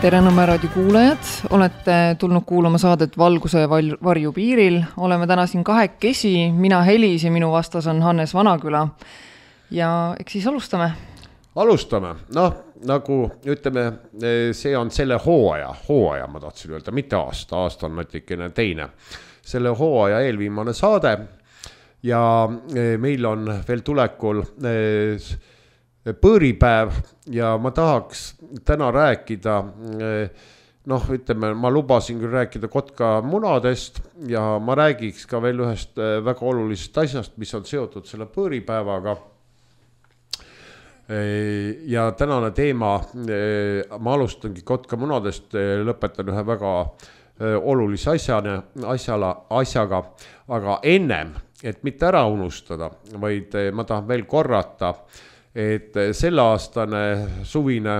Tere Nõmme raadio kuulajad, olete tulnud kuulama saadet Valguse varju piiril. Oleme täna siin kahekesi, mina Helis ja minu vastas on Hannes Vanaküla. Ja eks siis alustame. Alustame, nagu ütleme, see on selle hooaja ma tahtsin öelda, mitte aasta on natikene teine. Selle hooaja eelviimane saade ja meil on veel tulekul põõripäev ja ma tahaks täna rääkida, ütleme, ma lubasin küll rääkida kotkamunadest ja ma räägiks ka veel ühest väga olulisest asjast, mis on seotud selle põõripäevaga. Ja tänane teema, ma alustangi kotkamunadest, lõpetan ühe väga olulise asjaga, aga ennem, et mitte ära unustada, vaid ma tahan veel korrata, et selle aastane suvine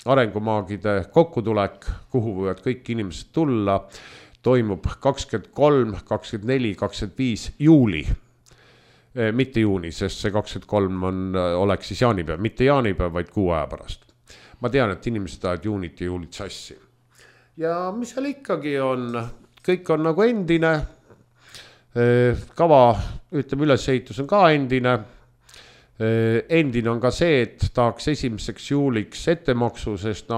arengumaagide kokkutulek, kuhu võivad kõik inimesed tulla, toimub 23, 24, 25 juuli. Mitte juuni, sest see 23 oleks siis jaanipäev, mitte jaanipäev, vaid 6 aja pärast. Ma tean, et inimesed ajad juunit ja juulit sassi. Ja mis seal ikkagi on, kõik on nagu endine, kava, ütleme, ülesehitus on ka endine. Endine on ka see, et tahaks 1. juuliks ettemaksu, sest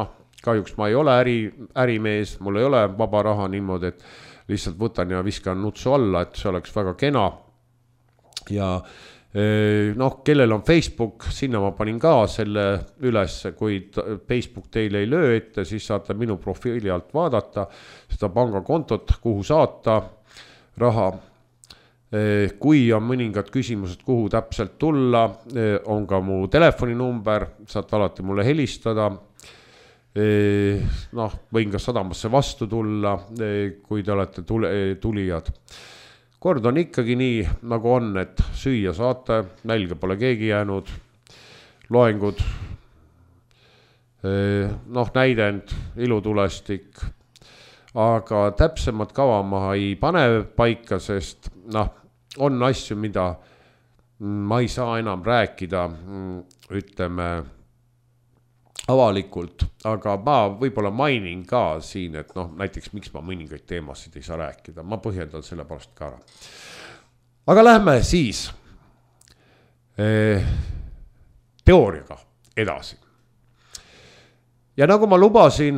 kahjuks ma ei ole ärimees, mul ei ole vaba raha niimoodi, et lihtsalt võtan ja viskan nutsu alla, et see oleks väga kena. Ja kellel on Facebook, sinna ma panin ka selle üles, kui Facebook teile ei löö ette, siis saate minu profiili alt vaadata seda pangakontot, kuhu saata raha. Kui on mõningad küsimused, kuhu täpselt tulla, on ka mu telefoninumber, saate alati mulle helistada. Võin ka sadamasse vastu tulla, kui te olete tulijad. Kord on ikkagi nii, nagu on, et süüa saate, nälga pole keegi jäänud, loengud, näidend, ilutulestik, aga täpsemad kava ma ei pane paika, sest on asju, mida ma ei saa enam rääkida, ütleme, avalikult, aga ma võib-olla mainin ka siin, et näiteks miks ma mõningaid teemasid ei saa rääkida, ma põhjendan selle pärast ka ära. Aga lähme siis teooriaga edasi. Ja nagu ma lubasin,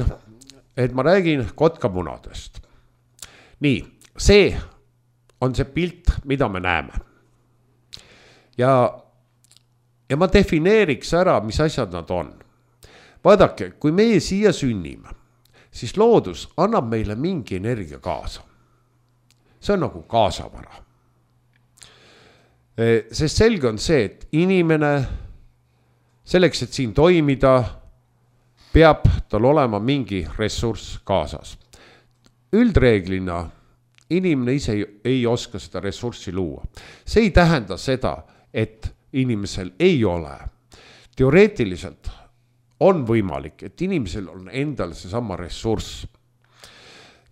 et ma räägin kotkamunadest. Nii, see on see pilt, mida me näeme. Ja ma defineeriks ära, mis asjad nad on. Vaadake, kui meie siia sünnime, siis loodus annab meile mingi energia kaasa. See on nagu kaasavara. Sest selge on see, et inimene selleks, et siin toimida, peab tal olema mingi ressurss kaasas. Üldreeglina inimene ise ei oska seda ressurssi luua. See ei tähenda seda, et inimesel ei ole. Teoreetiliselt on võimalik, et inimesel on endal seesama ressurss.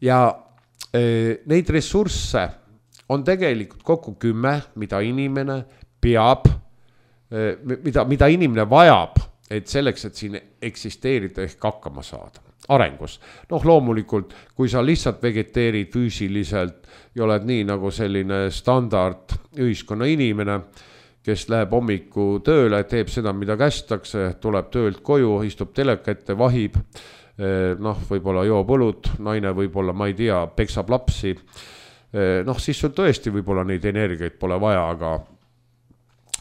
Ja neid ressursse on tegelikult kokku 10, mida inimene peab, mida inimene vajab, et selleks, et siin eksisteerida ehk hakkama saada. Arengus. Loomulikult, kui sa lihtsalt vegeteerid füüsiliselt ja oled nii nagu selline standard ühiskonna inimene, kes läheb hommiku tööle, teeb seda, mida kästakse, tuleb töölt koju, istub teleka ette, vahib, võib-olla joob õlut, naine võib-olla, ma ei tea, peksab lapsi, siis sul tõesti võib-olla neid energiaid pole vaja,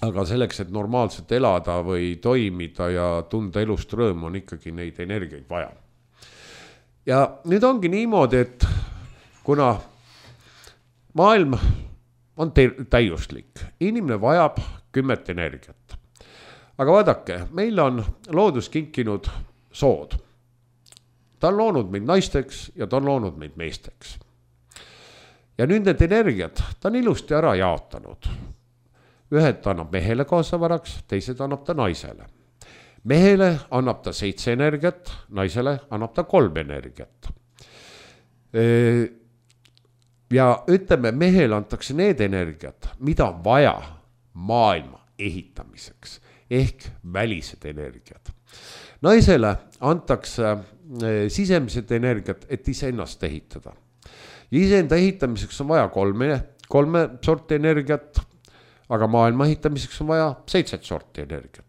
aga selleks, et normaalselt elada või toimida ja tunda elust rõõmu, on ikkagi neid energiaid vaja. Ja nüüd ongi niimoodi, et kuna maailm on täiuslik, inimene vajab 10 energiat. Aga vaadake, meil on loodus kinkinud sood. Ta on loonud meid naisteks ja ta on loonud meid meesteks. Ja nüüd need energiat ta on ilusti ära jaotanud. Ühed ta annab mehele kaasavaraks, teised annab ta naisele. Mehele annab ta 7 energiat, naisele annab ta 3 energiat. Ja ütleme, mehele antakse need energiat, mida on vaja maailma ehitamiseks, ehk välised energiat. Naisele antakse sisemised energiat, et iseennast ehitada. Ja iseenda ehitamiseks on vaja kolme sorti energiat, aga maailma ehitamiseks on vaja 7 sorti energiat.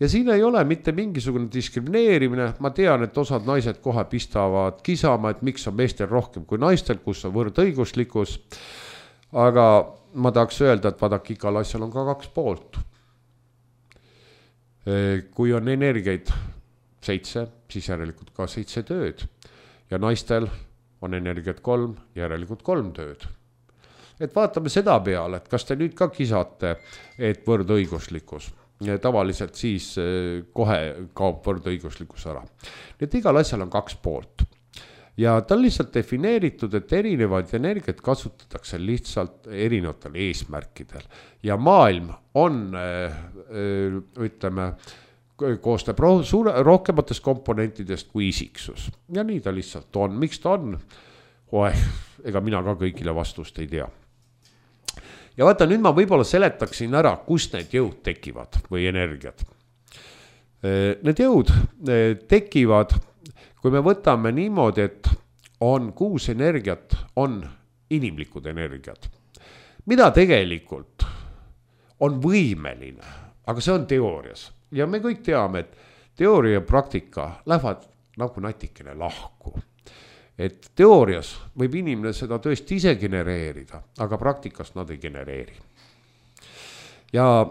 Ja siin ei ole mitte mingisugune diskrimineerimine, ma tean, et osad naised kohe pistavad kisama, et miks on meestel rohkem kui naistel, kus on võrdõiguslikkus, aga ma tahaks öelda, et vaadake, igal asjal on ka 2 poolt. Kui on energiaid 7, siis järelikult ka 7 tööd ja naistel on energiat 3, järelikult 3 tööd. Et vaatame seda peale, et kas te nüüd ka kisate, et võrdõiguslikkus. Tavaliselt siis kohe kaob võrdõiguslikkus ära. Nii et igal asjal on 2 poolt. Ja ta on lihtsalt defineeritud, et erinevaid energiat kasutatakse lihtsalt erinevatel eesmärkidel. Ja maailm on, ütleme, koostab rohkematest komponentidest kui isiksus. Ja nii ta lihtsalt on. Miks ta on? Ega mina ka kõigile vastust ei tea. Ja vaata, nüüd ma võib-olla seletaksin ära, kust need jõud tekivad või energiat. Need jõud tekivad, kui me võtame niimoodi, et on 6 energiat, on inimlikud energiat. Mida tegelikult on võimeline, aga see on teoorias. Ja me kõik teame, et teooria ja praktika lähevad nagu natikene lahku. Et teoorias võib inimene seda tõesti ise genereerida, aga praktikas nad ei genereeri. Ja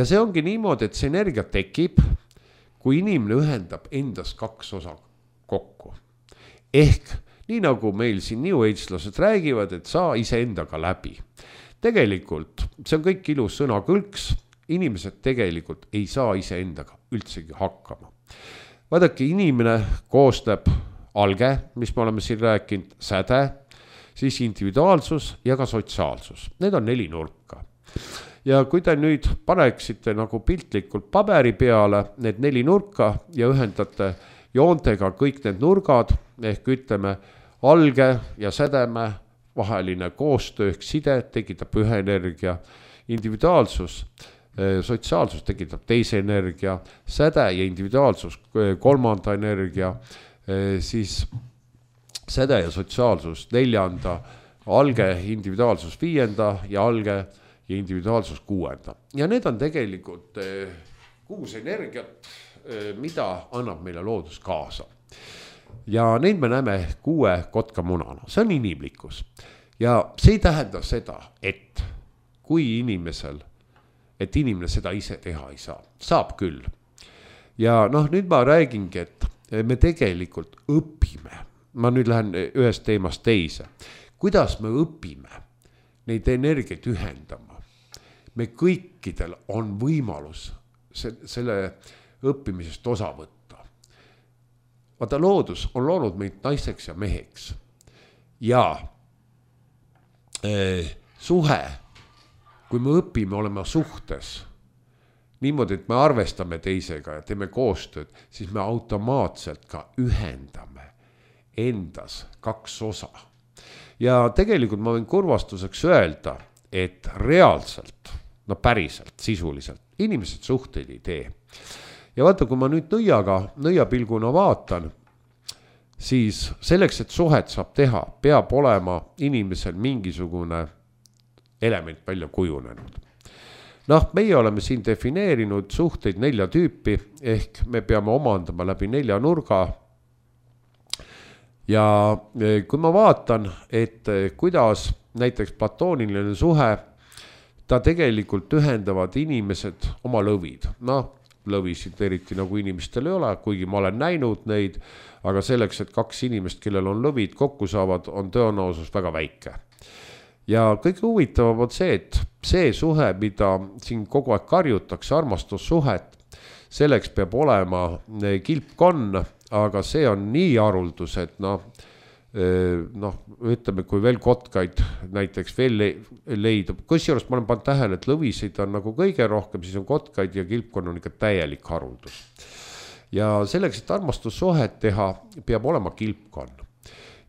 see ongi niimoodi, et see energia tekib, kui inimene ühendab endas 2 osa kokku. Ehk nii nagu meil siin New Age-lased räägivad, et saa ise endaga läbi. Tegelikult see on kõik ilus sõnakõlks, inimesed tegelikult ei saa ise endaga üldsegi hakkama. Vaadake, inimene koostab alge, mis me oleme siin rääkinud, säde, siis individuaalsus ja ka sotsiaalsus. Need on 4 nurka. Ja kui te nüüd paneksite nagu piltlikult paberi peale need 4 nurka ja ühendate joontega kõik need nurgad, ehk ütleme alge ja sädeme vaheline koostöö ehk side tekitab ühe energia, individuaalsus, sotsiaalsus tekitab teise energia, säde ja individuaalsus 3. energia, siis säde ja sotsiaalsus 4, alge individuaalsus 5 ja alge ja individuaalsus 6. Ja need on tegelikult 6 energiat, mida annab meile loodus kaasa. Ja neid me näeme 6 kotkamunana, see on inimlikkus. Ja see ei tähenda seda, et kui inimene seda ise teha ei saa, saab küll. Ja nüüd ma räägingi, et me tegelikult õpime. Ma nüüd lähen ühest teemast teise. Kuidas me õpime neid energiaid ühendama? Me kõikidel on võimalus selle õppimisest osa võtta. Vaata, loodus on loonud meid naiseks ja meheks. Ja suhe, kui me õpime olema suhtes, niimoodi, et me arvestame teisega ja teeme koostööd, siis me automaatselt ka ühendame endas 2 osa. Ja tegelikult ma võin kurvastuseks öelda, et reaalselt, päriselt, sisuliselt, inimesed suhteid ei tee. Ja vaata, kui ma nüüd nõiapilguna vaatan, siis selleks, et suhet saab teha, peab olema inimesel mingisugune element välja kujunenud. Meie oleme siin defineerinud suhteid 4 tüüpi, ehk me peame omandama läbi 4 nurga. Ja kui ma vaatan, et kuidas näiteks platooniline suhe, ta tegelikult ühendavad inimesed oma lõvid. Lõvisid eriti nagu inimestel ei ole, kuigi ma olen näinud neid, aga selleks, et 2 inimest, kellel on lõvid kokku saavad, on tõenäosus väga väike. Ja kõige huvitavam on see, et see suhe, mida siin kogu aeg karjutakse, armastussuhet, selleks peab olema kilpkonn, aga see on nii haruldus, et ütleme, kui veel kotkaid näiteks veel leidub. Kusjuures ma olen pannud tähele, et lõvisid on nagu kõige rohkem, siis on kotkaid ja kilpkonn on ikka täielik haruldus. Ja selleks, et armastussuhet teha, peab olema kilpkonn.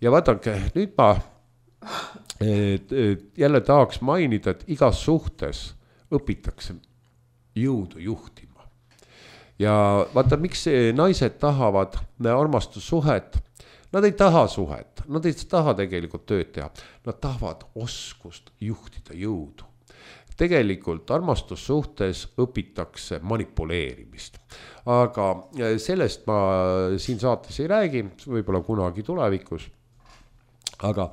Ja vaadake, nüüd ma jälle tahaks mainida, et igas suhtes õpitakse jõudu juhtima. ja vaata, miks naised tahavad armastussuhet, nad ei taha suhet, nad ei taha tegelikult tööd teha, nad tahavad oskust juhtida jõudu. Tegelikult armastussuhtes õpitakse manipuleerimist, aga sellest ma siin saates ei räägi, võib-olla kunagi tulevikus, aga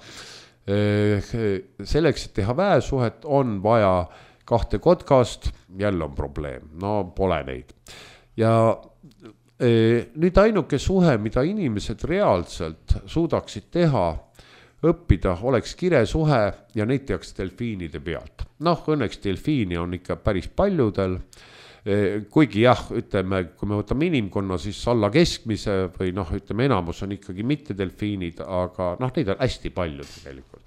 selleks, et teha väesuhet, on vaja 2 kotkast, jälle on probleem, no pole neid. Ja nüüd ainuke suhe, mida inimesed reaalselt suudaksid teha, õppida, oleks kiresuhe ja neid tehakse delfiinide pealt. Noh, õnneks delfiini on ikka päris paljudel, kuigi jah, ütleme, kui me võtame inimkonna, siis alla keskmise või noh, ütleme, enamus on ikkagi mitte delfiinid, aga noh, neid on hästi palju tegelikult.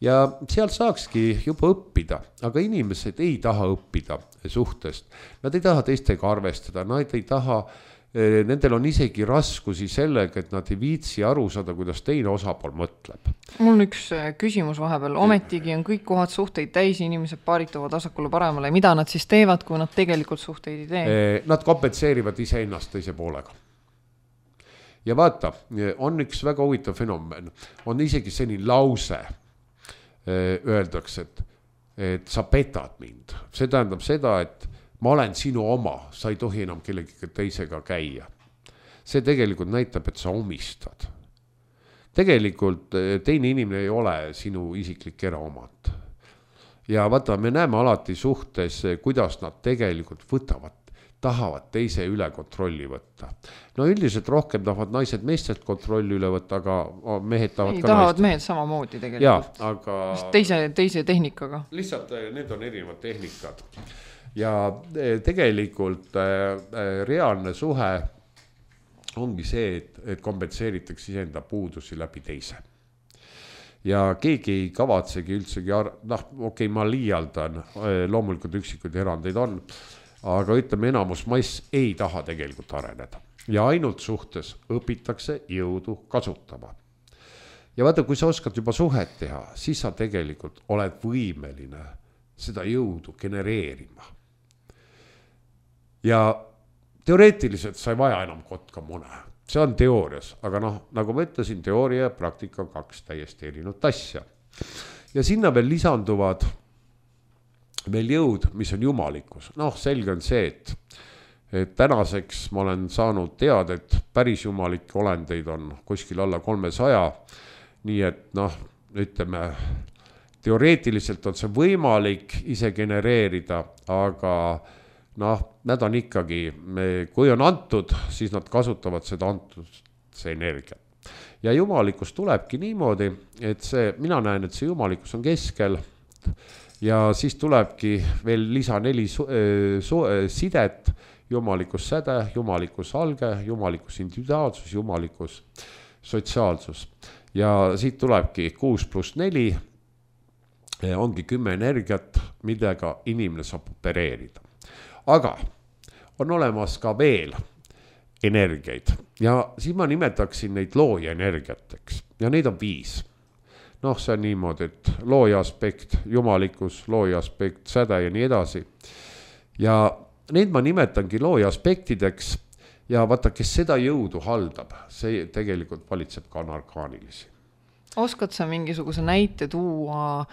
Ja seal saakski juba õppida, aga inimesed ei taha õppida suhtest. Nad ei taha teistega arvestada, nad ei taha, nendel on isegi raskusi sellega, et nad ei viitsi aru saada, kuidas teine osapool mõtleb. Mul on üks küsimus vahepeal. Ometigi on kõik kohad suhteid täis, inimesed paarituvad vasakule paremale. Mida nad siis teevad, kui nad tegelikult suhteid ei tee? Nad kompenseerivad iseennast teise poolega. Ja vaata, on üks väga huvitav fenomen. On isegi selline lause, öeldakse, et sa petad mind. See tähendab seda, et ma olen sinu oma, sa ei tohi enam kellegagi teisega käia. See tegelikult näitab, et sa omistad. Tegelikult teine inimene ei ole sinu isiklik eraomand. Ja vaata, me näeme alati suhtes, kuidas nad tegelikult tahavad teise üle kontrolli võtta. No üldiselt rohkem tahavad naised meestelt kontrolli üle võtta, aga mehed tahavad ka tahavad mehed samamoodi tegelikult. Ja, aga teise tehnikaga. Lihtsalt need on erinevad tehnikad. Ja tegelikult reaalne suhe ongi see, et kompenseeritakse iseenda puudusi läbi teise. Ja keegi ei kavatsegi üldsegi, okei, ma liialdan, loomulikult üksikuid erandeid on, aga ütleme, enamus mass ei taha tegelikult areneda. Ja ainult suhtes õpitakse jõudu kasutama. Ja vaata, kui sa oskad juba suhet teha, siis sa tegelikult oled võimeline seda jõudu genereerima. Ja teoreetiliselt sa ei vaja enam kotka mune. See on teoorias, aga noh, nagu ma ütlesin, teooria ja praktika on 2 täiesti erinevat asja. Ja sinna veel lisanduvad veel jõud, mis on jumalikkus. Noh, selge on see, et tänaseks ma olen saanud teada, et päris jumalikke olendeid on kuskil alla 300. Nii et noh, ütleme, teoreetiliselt on see võimalik ise genereerida, aga noh, nad on ikkagi, kui on antud, siis nad kasutavad seda antud see energia. Ja jumalikkus tulebki niimoodi, et mina näen, et see jumalikkus on keskel ja siis tulebki veel lisa 4 sidet, jumalikkus säde, jumalikkus alge, jumalikkus individuaalsus, jumalikkus sotsiaalsus. Ja siit tulebki 6+4, ongi 10 energiat, millega inimene saab opereerida. Aga on olemas ka veel energiaid ja siis ma nimetaksin neid looja energiateks ja neid on 5. Noh, see on niimoodi, et looja aspekt, jumalikkus, looja aspekt, säde ja nii edasi. Ja neid ma nimetangi looja aspektideks ja vaata, kes seda jõudu haldab, see tegelikult valitseb ka anarkaanilisi. Oskad sa mingisuguse näite tuua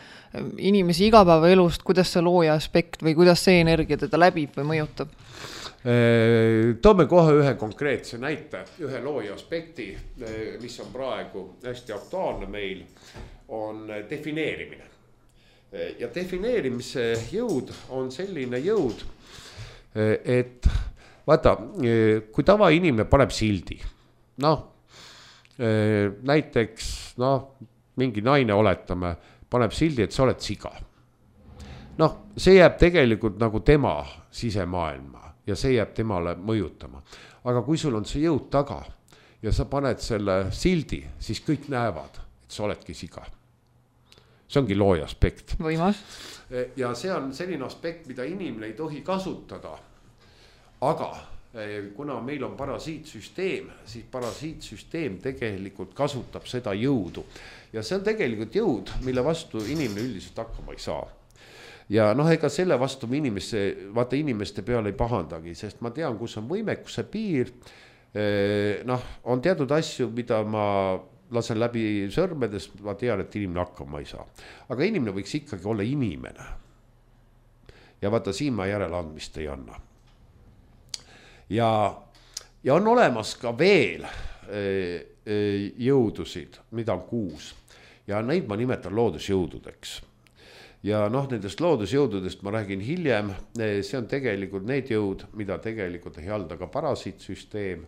inimesi igapäevaelust, kuidas see looja aspekt või kuidas see energia teda läbib või mõjutab? Toome kohe ühe konkreetse näite, ühe looja aspekti, mis on praegu hästi aktuaalne meil, on defineerimine. Ja defineerimise jõud on selline jõud, et vaata, kui tavainimene paneb sildi, noh, näiteks mingi naine oletame, paneb sildi, et sa oled siga. Noh, see jääb tegelikult nagu tema sisemaailma ja see jääb temale mõjutama. Aga kui sul on see jõud taga ja sa paned selle sildi, siis kõik näevad, et sa oledki siga. See ongi looja aspekt. Võimas. Ja see on selline aspekt, mida inimene ei tohi kasutada, aga kuna meil on parasiitsüsteem, siis parasiitsüsteem tegelikult kasutab seda jõudu. Ja see on tegelikult jõud, mille vastu inimene üldiselt hakkama ei saa. ja noh, ega selle vastu inimeste peale ei pahandagi, sest ma tean, kus on võimekuse piir. Noh, on teatud asju, mida ma lasen läbi sõrmedest, ma tean, et inimene hakkama ei saa. Aga inimene võiks ikkagi olla inimene. Ja vaata, siin ma järeleandmist ei anna. Ja on olemas ka veel jõudusid, mida on 6. Ja neid ma nimetan loodusjõududeks. Ja noh, nendest loodusjõududest ma räägin hiljem. See on tegelikult need jõud, mida tegelikult ei halda ka parasiitsüsteem,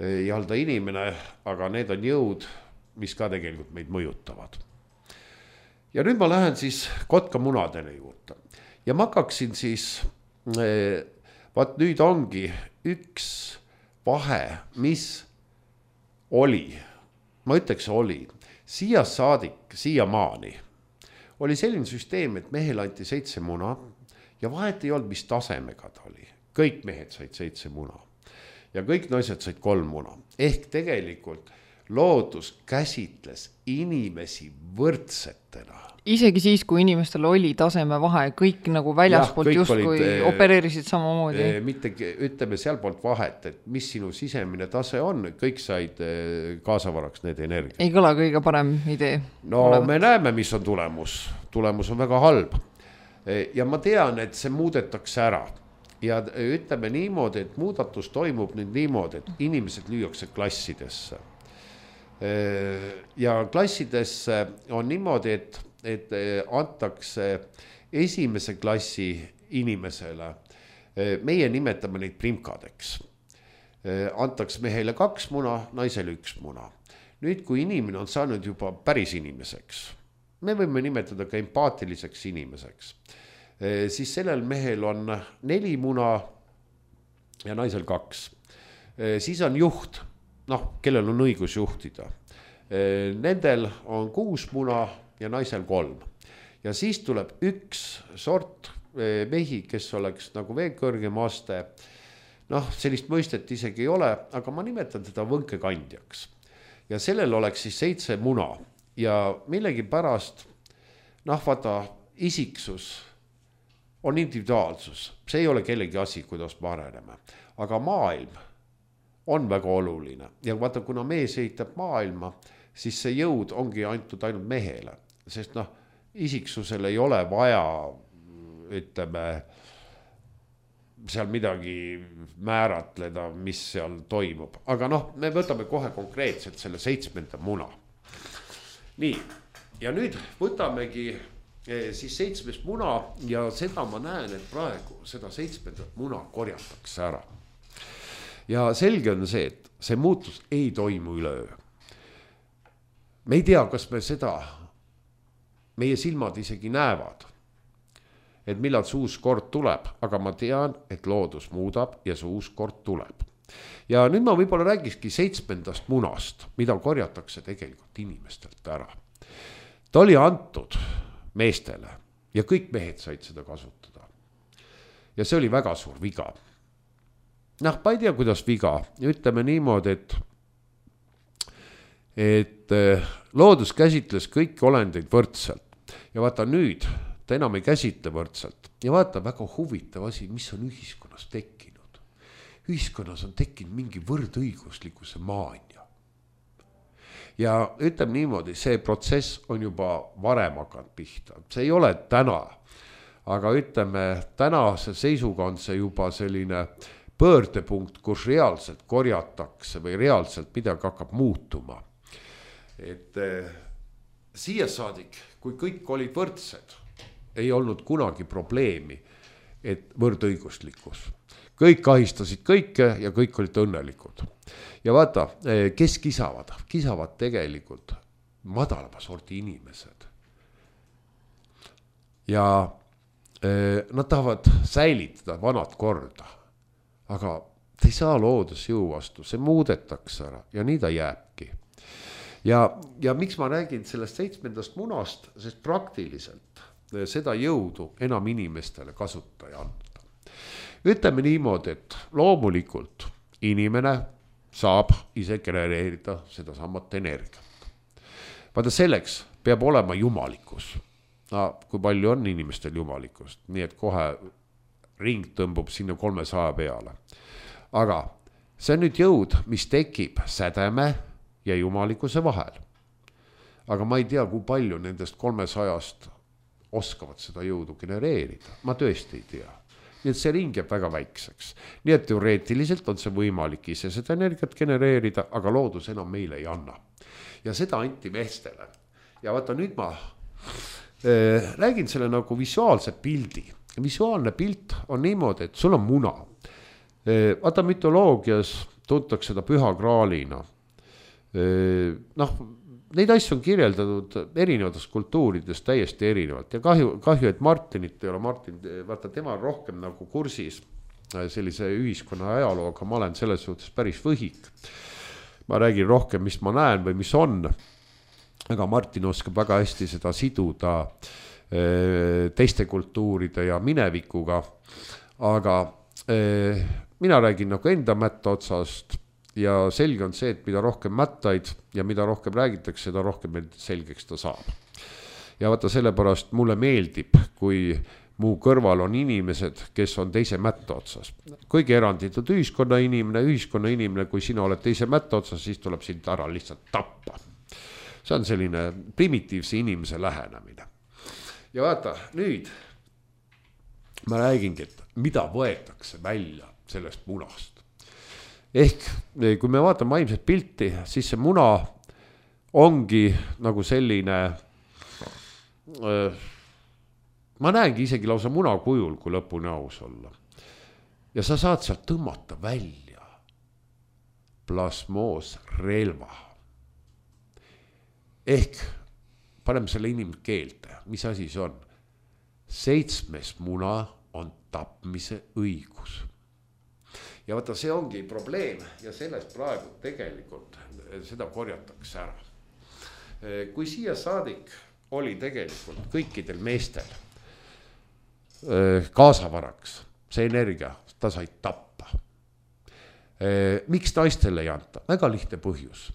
ei halda inimene, aga need on jõud, mis ka tegelikult meid mõjutavad. Ja nüüd ma lähen siis kotkamunadele juurde. Ja ma hakkaksin siis, vaat nüüd ongi üks vahe, mis oli, ma ütleks oli, siiamaani oli selline süsteem, et mehel anti 7 muna ja vahet ei olnud, mis tasemega ta oli. Kõik mehed said 7 muna ja kõik naised said 3 muna. Ehk tegelikult loodus käsitles inimesi võrdsetena. Isegi siis, kui inimestel oli taseme vahe, kõik nagu väljaspoolt justkui opereerisid samamoodi. Mitte, ütleme sealpoolt vahet, et mis sinu sisemine tase on, kõik said kaasavaraks need energiat. Ei kõla kõige parem idee. No me näeme, mis on tulemus. Tulemus on väga halb. Ja ma tean, et see muudetakse ära. Ja ütleme niimoodi, et muudatus toimub nüüd niimoodi, et inimesed lüüakse klassidesse. Ja klassidesse on niimoodi, et antakse esimese klassi inimesele, meie nimetame neid primkadeks, antakse mehele 2 muna, naisele 1 muna. Nüüd, kui inimene on saanud juba päris inimeseks, me võime nimetada ka empaatiliseks inimeseks, siis sellel mehel on 4 muna ja naisel 2. Siis on juht, noh, kellel on õigus juhtida. Nendel on 6 muna ja naisel 3. Ja siis tuleb üks sort mehi, kes oleks nagu veel kõrgem aste. Noh, sellist mõistet isegi ei ole, aga ma nimetan teda võnkekandjaks. Ja sellel oleks siis 7 muna ja millegi pärast, noh, vaata, isiksus on individuaalsus. See ei ole kellegi asi, kuidas me areneme. Aga maailm on väga oluline. Ja vaata, kuna mees ehitab maailma, siis see jõud ongi antud ainult mehele. Sest noh, isiksusel ei ole vaja, ütleme, seal midagi määratleda, mis seal toimub. Aga noh, me võtame kohe konkreetselt selle 7. muna. Nii, ja nüüd võtamegi siis 7. muna ja seda ma näen, et praegu seda 7. muna korjatakse ära. Ja selge on see, et see muutus ei toimu üleöö. Me ei tea, kas me seda, meie silmad isegi näevad, et millal see uus kord tuleb, aga ma tean, et loodus muudab ja see uus kord tuleb. Ja nüüd ma võib-olla räägikski 7. munast, mida korjatakse tegelikult inimestelt ära. Ta oli antud meestele ja kõik mehed said seda kasutada. Ja see oli väga suur viga. Noh, ma ei tea, kuidas viga. Ütleme niimoodi, et loodus käsitles kõiki olendeid võrdselt. Ja vaata nüüd, ta enam ei käsitle võrdselt. Ja vaata, väga huvitav asi, mis on ühiskonnas tekkinud. Ühiskonnas on tekkinud mingi võrdõiguslikkuse maania. Ja ütleme niimoodi, see protsess on juba varem hakanud pihta. See ei ole täna, aga ütleme, tänase seisuga on see juba selline pöördepunkt, kus reaalselt korjatakse või reaalselt midagi hakkab muutuma. Et siia saadik, kui kõik olid võrdsed, ei olnud kunagi probleemi, et võrdõiguslikkus. Kõik ahistasid kõike ja kõik olid õnnelikud. Ja vaata, kes kisavad? Kisavad tegelikult madalama sorti inimesed. Ja nad tahavad säilitada vanad korda. Aga ta ei saa loodusjõu vastu, see muudetakse ära ja nii ta jääbki. Ja miks ma räägin sellest 7. munast, sest praktiliselt seda jõudu enam inimestele kasuta ei anda. Ütleme niimoodi, et loomulikult inimene saab ise genereerida seda samat energiat. Vaata selleks peab olema jumalikkus. kui palju on inimestel jumalikkust, nii et kohe ring tõmbub sinna 300 peale. Aga see on nüüd jõud, mis tekib sädeme ja jumalikkuse vahel. Aga ma ei tea, kui palju nendest 300-st oskavad seda jõudu genereerida. Ma tõesti ei tea. Nii et see ring jääb väga väikseks. Nii et teoreetiliselt on see võimalik ise seda energiat genereerida, aga loodus enam meile ei anna. Ja seda anti meestele. Ja vaata, nüüd ma räägin selle nagu visuaalse pildi. Visuaalne pilt on niimoodi, et sul on muna. Vaata, mütoloogias tuntakse seda püha graalina. Neid asju on kirjeldatud erinevates kultuurides täiesti erinevalt ja kahju, et Martinit ei ole. Martin, vaata, tema on rohkem nagu kursis sellise ühiskonna ajalooga, ma olen selles suhtes päris võhik. Ma räägin rohkem, mis ma näen või mis on, aga Martin oskab väga hästi seda siduda teiste kultuuride ja minevikuga, aga mina räägin nagu enda mätta otsast. Ja selge on see, et mida rohkem mättaid ja mida rohkem räägitakse, seda rohkem selgeks ta saab. Ja vaata, sellepärast mulle meeldib, kui mu kõrval on inimesed, kes on teise mätta otsas. Kuigi eranditud ühiskonna inimene, kui sina oled teise mätta otsas, siis tuleb sind ära lihtsalt tappa. See on selline primitiivse inimese lähenemine. Ja vaata, nüüd ma räägingi, et mida võetakse välja sellest munast. Ehk kui me vaatame vaimset pilti, siis see muna ongi nagu selline, ma näengi isegi lausa muna kujul, kui lõpuni aus olla. Ja sa saad sealt tõmmata välja plasmoosrelva. Ehk paneme selle inimkeelde, mis asi see on? 7. muna on tapmise õigus. Ja vaata, see ongi probleem ja sellest praegu tegelikult seda korjatakse ära. Kui siia saadik oli tegelikult kõikidel meestel kaasavaraks see energia, ta sai tappa. Miks naistele ei anta? Väga lihtne põhjus.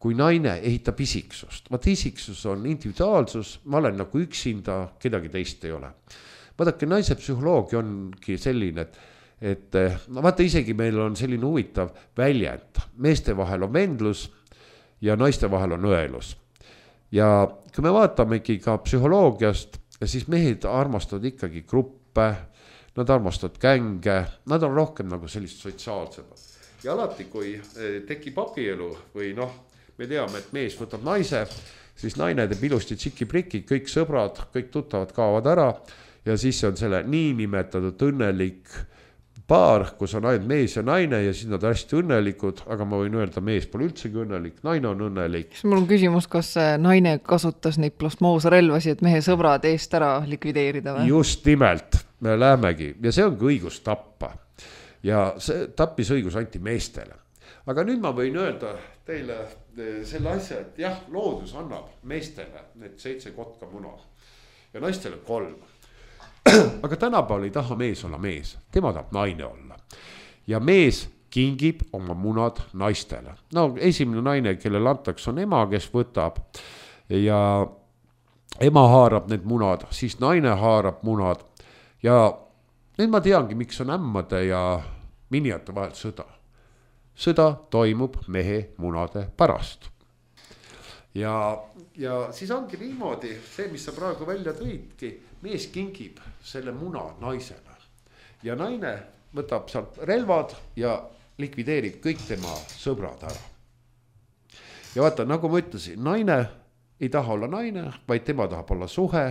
Kui naine ehitab isiksust, vaata isiksus on individuaalsus, ma olen nagu üksinda, kedagi teist ei ole. Vaadake, naise psühholoogia ongi selline, et vaata, isegi meil on selline huvitav väljend. Meeste vahel on vendlus ja naiste vahel on õelus. Ja kui me vaatamegi ka psühholoogiast, siis mehed armastavad ikkagi gruppe, nad armastavad gänge, nad on rohkem nagu sellist sotsiaalsemad. Ja alati, kui tekib abielu või me teame, et mees võtab naise, siis naine teeb ilusti tšiki-priki, kõik sõbrad, kõik tuttavad kaovad ära ja siis on selle niinimetatud õnnelik paar, kus on ainult mees ja naine ja siis nad hästi õnnelikud, aga ma võin öelda, mees pole üldsegi õnnelik, naine on õnnelik. Mul on küsimus, kas naine kasutas neid plasmoosrelvasi, et mehe sõbrad eest ära likvideerida või? Just nimelt, me lähemegi ja see ongi õigus tappa ja see tappisõigus anti meestele. Aga nüüd ma võin öelda teile selle asja, et jah, loodus annab meestele need 7 kotka muna ja naistele 3. Aga tänapäeval ei taha mees olla mees, tema tahab naine olla. Ja mees kingib oma munad naistele. Esimene naine, kellel antaks, on ema, kes võtab ja ema haarab need munad, siis naine haarab munad ja nüüd ma teangi, miks on ämmade ja minijate vahel sõda. Sõda toimub mehe munade pärast. Ja siis ongi niimoodi, see, mis sa praegu välja tõidki, mees kingib selle muna naisele ja naine võtab sealt relvad ja likvideerib kõik tema sõbrad ära. Ja vaata, nagu ma ütlesin, naine ei taha olla naine, vaid tema tahab olla suhe,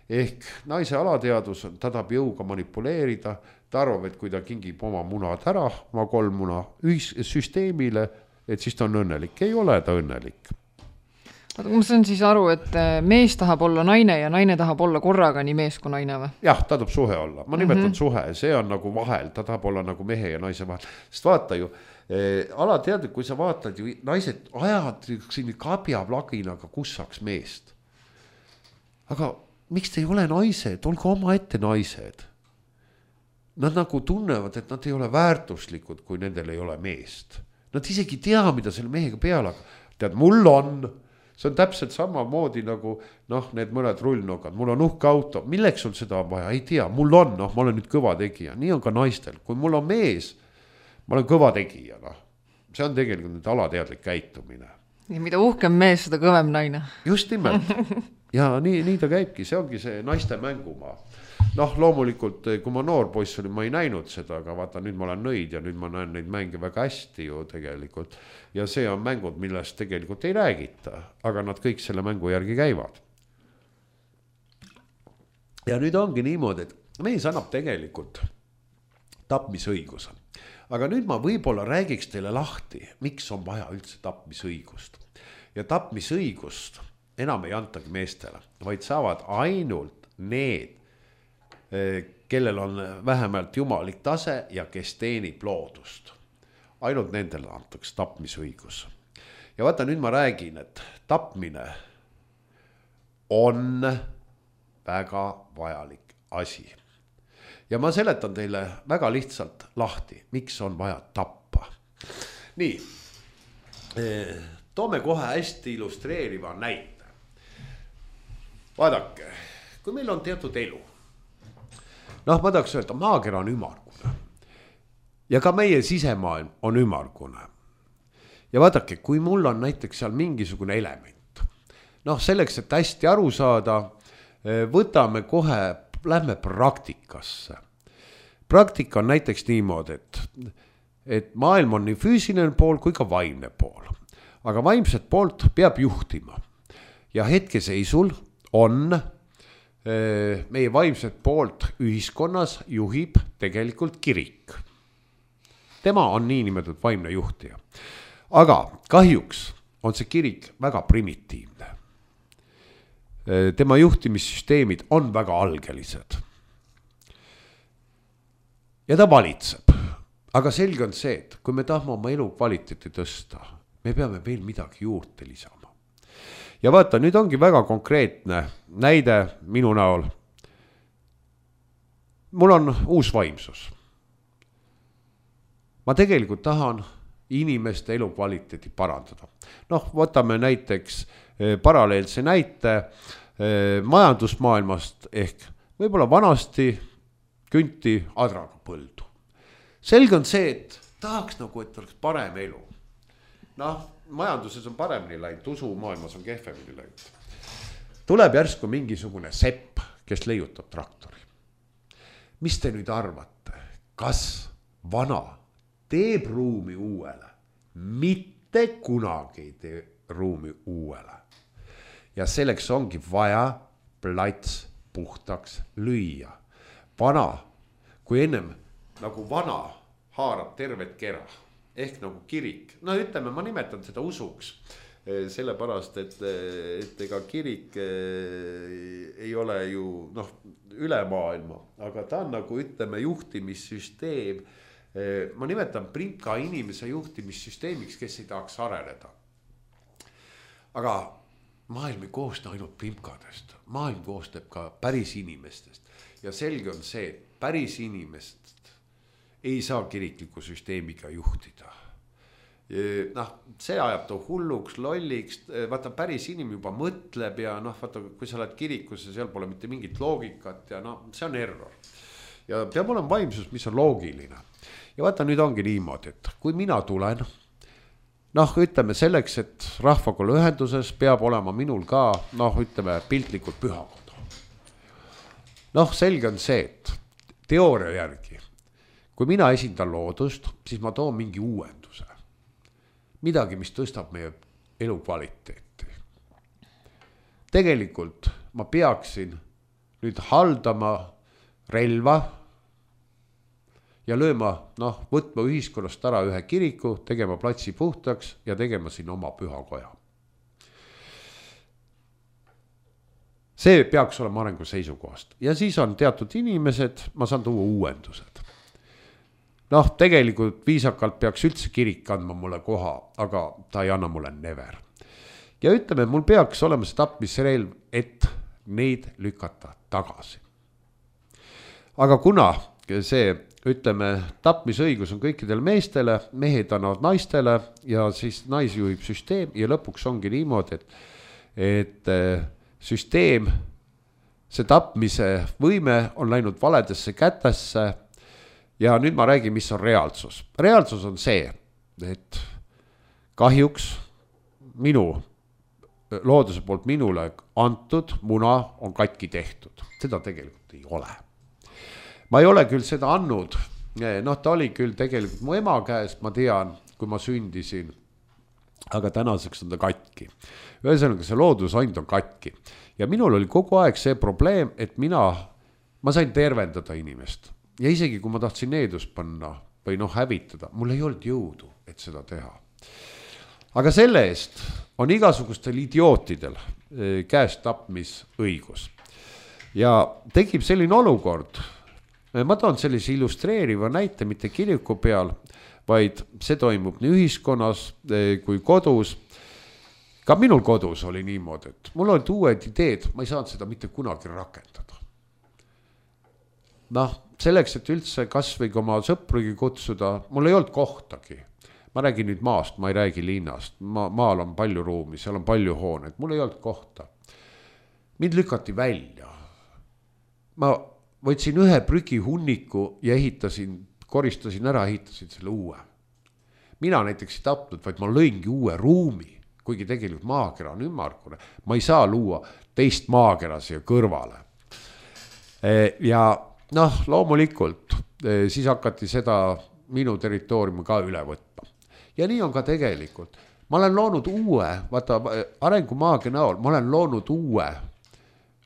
ehk naise alateadus, ta tahab jõuga manipuleerida, ta arvab, et kui ta kingib oma munad ära, oma 3 muna süsteemile, et siis ta on õnnelik. Ei ole ta õnnelik. Ma saan siis aru, et mees tahab olla naine ja naine tahab olla korraga nii mees kui naine või? Jah, ta tahab suhe olla. Ma nimetan suhe, see on nagu vahel, ta tahab olla nagu mehe ja naise vahel. Sest vaata ju, alateadlik, kui sa vaatad ju, naised ajavad siin kabjaplaginaga kussaks meest. Aga miks te ei ole naised? Olge oma ette naised. Nad nagu tunnevad, et nad ei ole väärtuslikud, kui nendel ei ole meest. Nad isegi tea, mida selle mehega peale. Tead, mul on... see on täpselt samamoodi nagu need mõned rullnokad, mul on uhke auto, milleks sul seda on vaja, ei tea, mul on, ma olen nüüd kõva tegija, nii on ka naistel, kui mul on mees, ma olen kõva tegija, see on tegelikult nüüd alateadlik käitumine. Ja mida uhkem mees, seda kõvem naine. Just nimelt. Ja nii ta käibki, see ongi see naiste mängumaa. Loomulikult, kui ma noor poiss olin, ma ei näinud seda, aga vaata, nüüd ma olen nõid ja nüüd ma näen neid mänge väga hästi ju tegelikult. Ja see on mängud, millest tegelikult ei räägita, aga nad kõik selle mängu järgi käivad. Ja nüüd ongi niimoodi, et mees annab tegelikult tapmisõiguse. Aga nüüd ma võib-olla räägiks teile lahti, miks on vaja üldse tapmisõigust. Ja tapmisõigust enam ei antagi meestele, vaid saavad ainult need, kellel on vähemalt jumalik tase ja kes teenib loodust. Ainult nendele antaks tapmisõigus. Ja vaata, nüüd ma räägin, et tapmine on väga vajalik asi. Ja ma seletan teile väga lihtsalt lahti, miks on vaja tappa. Nii, toome kohe hästi illustreeriva näite. Vaadake, kui meil on teatud elu, ma tahaks öelda, maakera on ümmargune ja ka meie sisemaailm on ümmargune. Ja vaadake, kui mul on näiteks seal mingisugune element, selleks, et hästi aru saada, võtame kohe, lähme praktikasse. Praktika on näiteks niimoodi, et maailm on nii füüsiline pool kui ka vaimne pool. Aga vaimset poolt peab juhtima. Ja hetkeseisul on meie vaimset poolt ühiskonnas juhib tegelikult kirik. Tema on niinimetatud vaimne juhtija. Aga kahjuks on see kirik väga primitiivne. Tema juhtimissüsteemid on väga algelised. Ja ta valitseb. Aga selge on see, et kui me tahame oma elu kvaliteeti tõsta, me peame veel midagi juurde lisama. Ja vaata, nüüd ongi väga konkreetne näide minu näol. Mul on uus vaimsus. Ma tegelikult tahan inimeste elu kvaliteeti parandada. Võtame näiteks paralleelse näite majandusmaailmast ehk võib-olla vanasti künti adraga põldu. Selge on see, et tahaks nagu, et oleks parem elu. Majanduses on paremini läinud, usumaailmas on kehvemini läinud. Tuleb järsku mingisugune sepp, kes leiutab traktori. Mis te nüüd arvate? Kas vana teeb ruumi uuele? Mitte kunagi ei tee ruumi uuele. Ja selleks ongi vaja plats puhtaks lüüa. Vana, kui ennem nagu vana haarab tervet kera, ehk nagu kirik. Ütleme, ma nimetan seda usuks, sellepärast, et ega kirik ei ole ju üle maailma, aga ta on nagu ütleme juhtimissüsteem. Ma nimetan Primka inimese juhtimissüsteemiks, kes ei tahaks areneda. Aga maailm ei koosta ainult Primkadest, maailm koostab ka päris inimestest ja selge on see, et päris inimest ei saa kirikliku süsteemiga juhtida. See ajab ta hulluks, lolliks, vaata päris inimene juba mõtleb ja vaata, kui sa oled kirikusse, seal pole mitte mingit loogikat ja see on error. Ja peab olema vaimsus, mis on loogiline. Ja vaata, nüüd ongi niimoodi, et kui mina tulen, ütleme selleks, et rahvakolla ühenduses peab olema minul ka, ütleme piltlikult pühakoda. Selge on see, et teooria järgi, kui mina esindan loodust, siis ma toon mingi uuenduse. Midagi, mis tõstab meie elu kvaliteeti. Tegelikult ma peaksin nüüd haldama relva ja lööma, võtma ühiskonnast ära ühe kiriku, tegema platsi puhtaks ja tegema siin oma pühakoja. See peaks olema arengu seisukohast. Ja siis on teatud inimesed, ma saan tuua uuendused. Tegelikult viisakalt peaks üldse kirik andma mulle koha, aga ta ei anna mulle never. Ja ütleme, mul peaks olema see tapmisrelv, et neid lükata tagasi. Aga kuna see, ütleme, tapmisõigus on kõikidel meestele, mehed annavad naistele ja siis naisi juhib süsteem ja lõpuks ongi niimoodi, et et süsteem, see tapmise võime on läinud valedesse kätesse ja nüüd ma räägin, mis on reaalsus. Reaalsus on see, et kahjuks minu looduse poolt minule antud muna on katki tehtud. Seda tegelikult ei ole. Ma ei ole küll seda andnud, ta oli küll tegelikult mu ema käest, ma tean, kui ma sündisin, aga tänaseks on ta katki. Ühesõnaga see loodusand on katki. Ja minul oli kogu aeg see probleem, et ma sain tervendada inimest. Ja isegi kui ma tahtsin needust panna või hävitada, mul ei olnud jõudu, et seda teha. Aga selle eest on igasugustel idiootidel käest tapmisõigus. Ja tekib selline olukord, ma toon sellise illustreeriva näite mitte kiriku peal, vaid see toimub nii ühiskonnas kui kodus. Ka minul kodus oli niimoodi, et mul olid uued ideed, ma ei saanud seda mitte kunagi rakendada. Selleks, et üldse kas või oma sõprugi kutsuda, mul ei olnud kohtagi. Ma räägin nüüd maast, ma ei räägi linnast. Maal on palju ruumi, seal on palju hooneid, mul ei olnud kohta. Mind lükati välja. Ma võtsin ühe prügihunniku ja koristasin ära, ehitasin selle uue. Mina näiteks ei tapnud, vaid ma lõingi uue ruumi, kuigi tegelikult maakera on ümmargune. Ma ei saa luua teist maakera siia kõrvale. Ja loomulikult siis hakati seda minu territooriumi ka üle võtma. Ja nii on ka tegelikult. Ma olen loonud uue, arengumaagia näol, ma olen loonud uue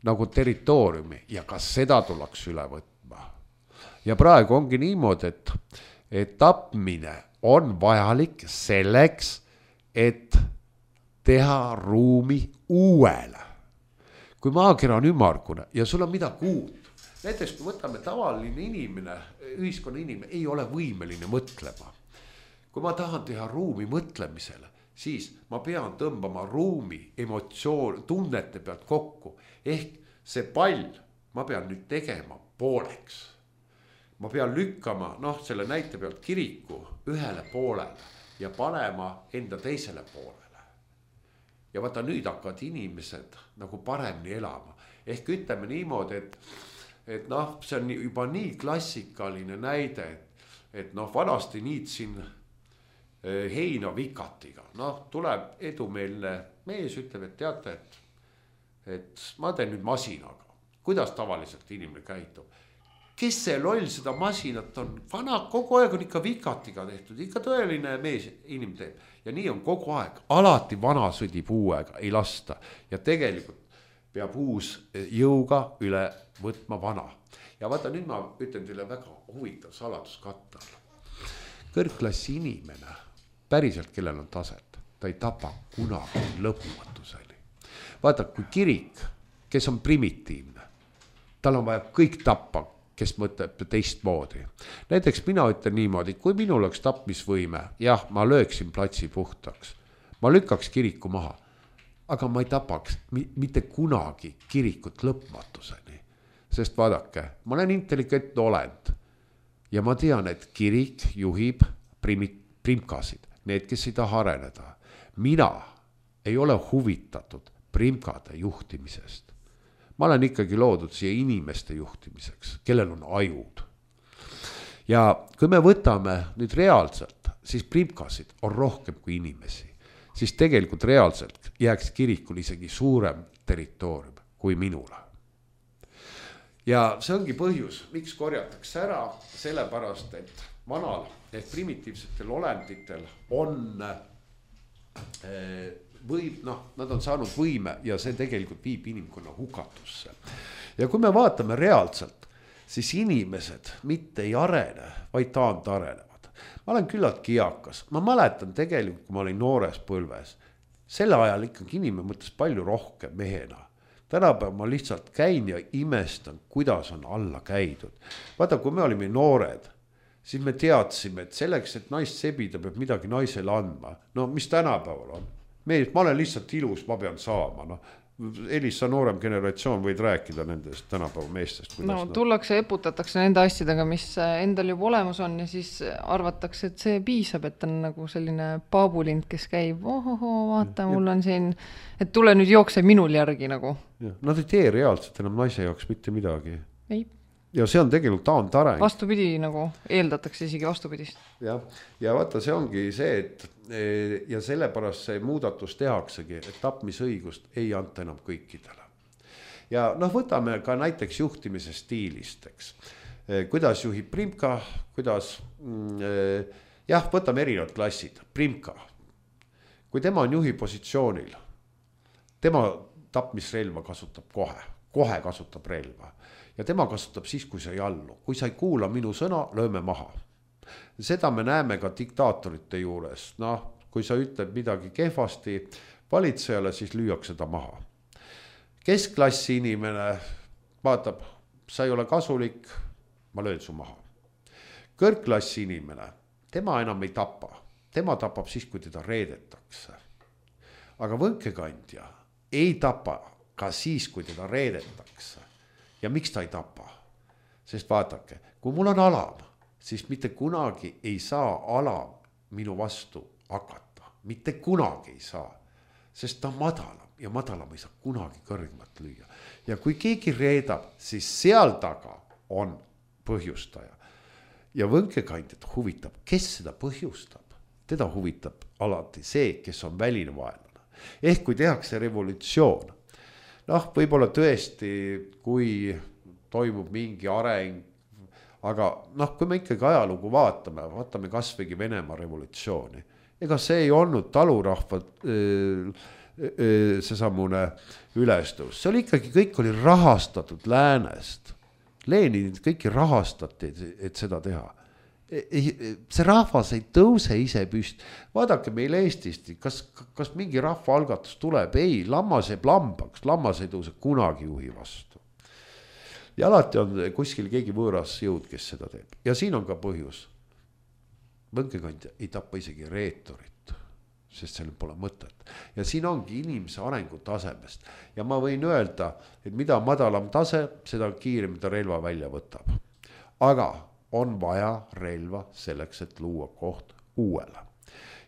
nagu territooriumi ja ka seda tuleks üle võtma. Ja praegu ongi niimoodi, et tapmine on vajalik selleks, et teha ruumi uuele. Kui maakera on ümmargune ja sul on midagi uut, näiteks kui võtame tavaline inimene, ühiskonna inimene ei ole võimeline mõtlema. Kui ma tahan teha ruumi mõtlemisele, siis ma pean tõmbama ruumi emotsioon, tunnete pealt kokku. Ehk see pall ma pean nüüd tegema pooleks. Ma pean lükkama, selle näite pealt kiriku ühele poolele ja panema enda teisele poolele. Ja vaata nüüd hakkavad inimesed nagu paremini elama. Ehk ütleme niimoodi, et see on juba nii klassikaline näide, et vanasti niitsin heina vikatiga. Tuleb edumeelne mees, ütleb, et teate, et ma teen nüüd masinaga. Kuidas tavaliselt inimene käitub? Kes see loll seda masinat on? Vana kogu aeg on ikka vikatiga tehtud, ikka tõeline mees inimene teeb. Ja nii on kogu aeg, alati vana sõdib uuega, ei lasta. Ja tegelikult peab uus jõuga üle võtma vana. Ja vaata nüüd ma ütlen teile väga huvitav saladuskattel. Kõrgklassi inimene, päriselt kellel on taset, ta ei tapa kunagi lõpumatuseni. Vaata, kui kirik, kes on primitiivne, tal on vaja kõik tappa, kes mõtleb teistmoodi. Näiteks mina ütlen niimoodi, kui minul oleks tapmisvõime, jah, ma lööksin platsi puhtaks. Ma lükkaks kiriku maha, aga ma ei tapaks mitte kunagi kirikut lõpmatuseni. Sest vaadake, ma olen intelligentne olend ja ma tean, et kirik juhib primkasid, need, kes ei taha areneda. Mina ei ole huvitatud primkade juhtimisest. Ma olen ikkagi loodud siia inimeste juhtimiseks, kellel on ajud. Ja kui me võtame nüüd reaalselt, siis primkasid on rohkem kui inimesi. Siis tegelikult reaalselt jääks kirikul isegi suurem territoorium kui minule. Ja see ongi põhjus, miks korjatakse ära, sellepärast, et vanal ehk primitiivsetel olenditel on nad on saanud võime ja see tegelikult viib inimkonna hukatusse. Ja kui me vaatame reaalselt, siis inimesed mitte ei arene, vaid taandarenevad. Ma olen küllaltki eakas. Ma mäletan tegelikult, kui ma olin noores põlves. Selle ajal ikkagi inimene mõtles palju rohkem mehena. Tänapäev ma lihtsalt käin ja imestan, kuidas on alla käidud. Vaata, kui me olime noored, siis me teadsime, et selleks, et naist sebida, peab midagi naisele andma. Mis tänapäeval on? mees, ma olen lihtsalt ilus, ma pean saama, noh. Elis, sa noorem generatsioon võid rääkida nendest tänapäeva meestest. No tullakse, eputatakse nende asjadega, mis endal juba olemas on ja siis arvatakse, et see piisab, et on nagu selline paabulind, kes käib, vaata, mul on siin, et tule nüüd jookse minul järgi nagu. Nad ei tee reaalselt enam naise jaoks mitte midagi. Ei. Ja see on tegelikult taantareng. Vastupidi, nagu eeldatakse isegi vastupidist. Ja vaata, see ongi see, et ja sellepärast see muudatus tehaksegi, et tapmisõigust ei anta enam kõikidele. Ja noh, võtame ka näiteks juhtimise stiilist, eks. Kuidas juhib Primka, kuidas, jah, võtame erinevad klassid. Primka, kui tema on juhi positsioonil, tema tapmisrelva kasutab kohe kasutab relva. Ja tema kasutab siis, kui sa ei allu. Kui sa ei kuula minu sõna, lööme maha. Seda me näeme ka diktaatorite juures. Noh, kui sa ütled midagi kehvasti valitsejale, siis lüüakse ta maha. Keskklassi inimene vaatab, sa ei ole kasulik, ma löön su maha. Kõrgklassi inimene, tema enam ei tapa. Tema tapab siis, kui teda reedetakse. Aga võnkekandja ei tapa ka siis, kui teda reedetakse. Ja miks ta ei tapa? Sest vaadake, kui mul on alam, siis mitte kunagi ei saa alam minu vastu hakata. Mitte kunagi ei saa, sest ta on madalam ja madalam ei saa kunagi kõrgemat lüüa. Ja kui keegi reedab, siis seal taga on põhjustaja. Ja võnkekandjad huvitab, kes seda põhjustab. Teda huvitab alati see, kes on väline vaenlane. Ehk kui tehakse revolutsioon, noh, võib-olla tõesti, kui toimub mingi areng, aga noh, kui me ikkagi ajalugu vaatame kasvõi Venemaa revolutsiooni. Ega see ei olnud talurahva seesamune ülestõus. See oli ikkagi, kõik oli rahastatud läänest. Leninid kõiki rahastati, et seda teha. See rahvas ei tõuse ise püst. Vaadake meil Eestist, kas mingi rahva algatus tuleb? Ei, lammas jääb lambaks, lammas ei tõuse kunagi juhi vastu. Ja alati on kuskil keegi võõras jõud, kes seda teeb. Ja siin on ka põhjus. Võnkekandja ei tappa isegi reetorit, sest sellel pole mõtet. Ja siin ongi inimese arengu tasemest. Ja ma võin öelda, et mida madalam tase, seda kiirem ta relva välja võtab. Aga on vaja relva selleks, et luua koht uuele.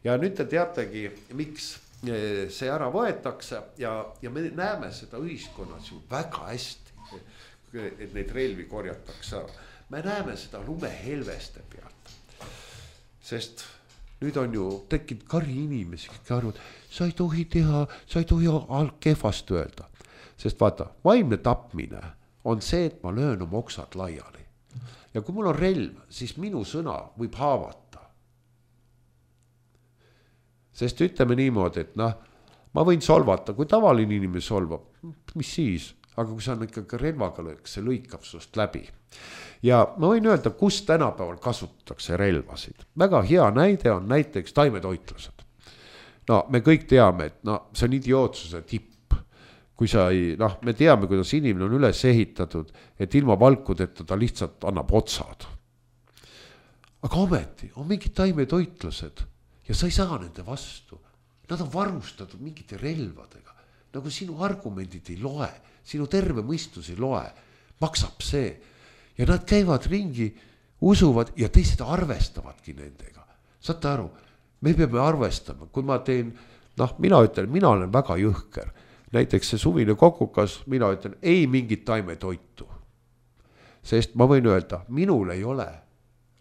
Ja nüüd te teategi, miks see ära võetakse ja me näeme seda ühiskonnas ju väga hästi, et neid relvi korjatakse ära. Me näeme seda lumehelveste pealt. Sest nüüd on ju tekkinud kari inimesi, kes arvad, sa ei tohi teha, sa ei tohi kehvast öelda. Sest vaata, vaimne tapmine on see, et ma löön oma oksad laiali. Ja kui mul on relv, siis minu sõna võib haavata. Sest ütleme niimoodi, et noh, ma võin solvata, kui tavaline inimene solvab, mis siis? Aga kui sa on ikkagi relvaga löök, see lõikab sust läbi. Ja ma võin öelda, kus tänapäeval kasutatakse relvasid. Väga hea näide on näiteks taimetoitlased. No me kõik teame, et no, see on idiootsuse tipp. Kui sa ei, noh, me teame, kuidas inimene on üles ehitatud, et ilma valkudeta ta lihtsalt annab otsad. Aga ometi on mingid taimetoitlased ja sa ei saa nende vastu. Nad on varustatud mingite relvadega. Nagu sinu argumendid ei loe, sinu terve mõistus ei loe, maksab see. Ja nad käivad ringi, usuvad ja teised arvestavadki nendega. Saate aru, me peame arvestama, kui ma teen, noh, mina ütlen, mina olen väga jõhker. Näiteks see suvine kokukas, mina ütlen, ei mingit taimetoitu. Sest ma võin öelda, minul ei ole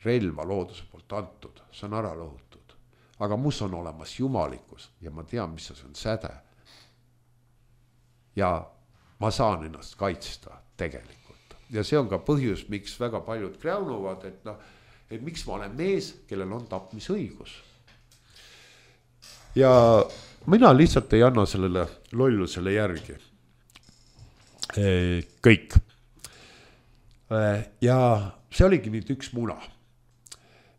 relva looduse poolt antud, see on ära lõhutud. Aga mus on olemas jumalikkus ja ma tean, mis see on säde. Ja ma saan ennast kaitsta tegelikult. Ja see on ka põhjus, miks väga paljud kräunuvad, et, noh, et miks ma olen mees, kellel on tapmisõigus. Ja mina lihtsalt ei anna sellele lollusele järgi. Kõik. Ja see oligi nüüd üks muna.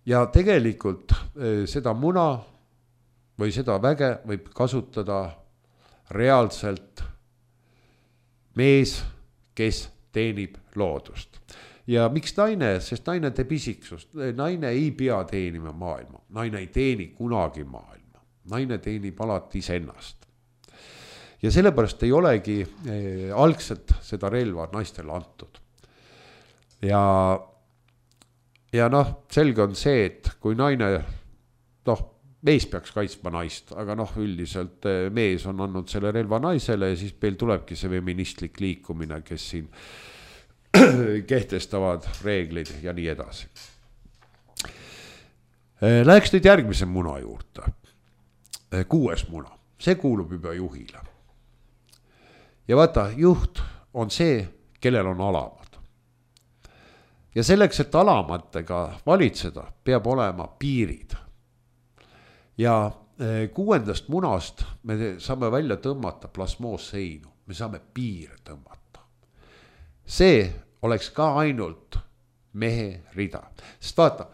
Ja tegelikult seda muna või seda väge võib kasutada reaalselt mees, kes teenib loodust. Ja miks naine? Sest naine teeb isiksust. Naine ei pea teenima maailma. Naine ei teeni kunagi maailma. naine teenib alati iseennast. Ja sellepärast ei olegi algselt seda relva naistele antud. Ja noh, selge on see, et kui naine, noh, mees peaks kaitsma naist, aga noh, üldiselt mees on andnud selle relva naisele ja siis meil tulebki see feministlik liikumine, kes siin kehtestavad reeglid ja nii edasi. Läheks nüüd järgmise muna juurde. 6. muna, see kuulub juba juhile. Ja vaata, juht on see, kellel on alamad. Ja selleks, et alamatega valitseda, peab olema piirid. Ja 6. munast me saame välja tõmmata plasmoosseinu, me saame piire tõmmata. See oleks ka ainult mehe rida. Sest vaata,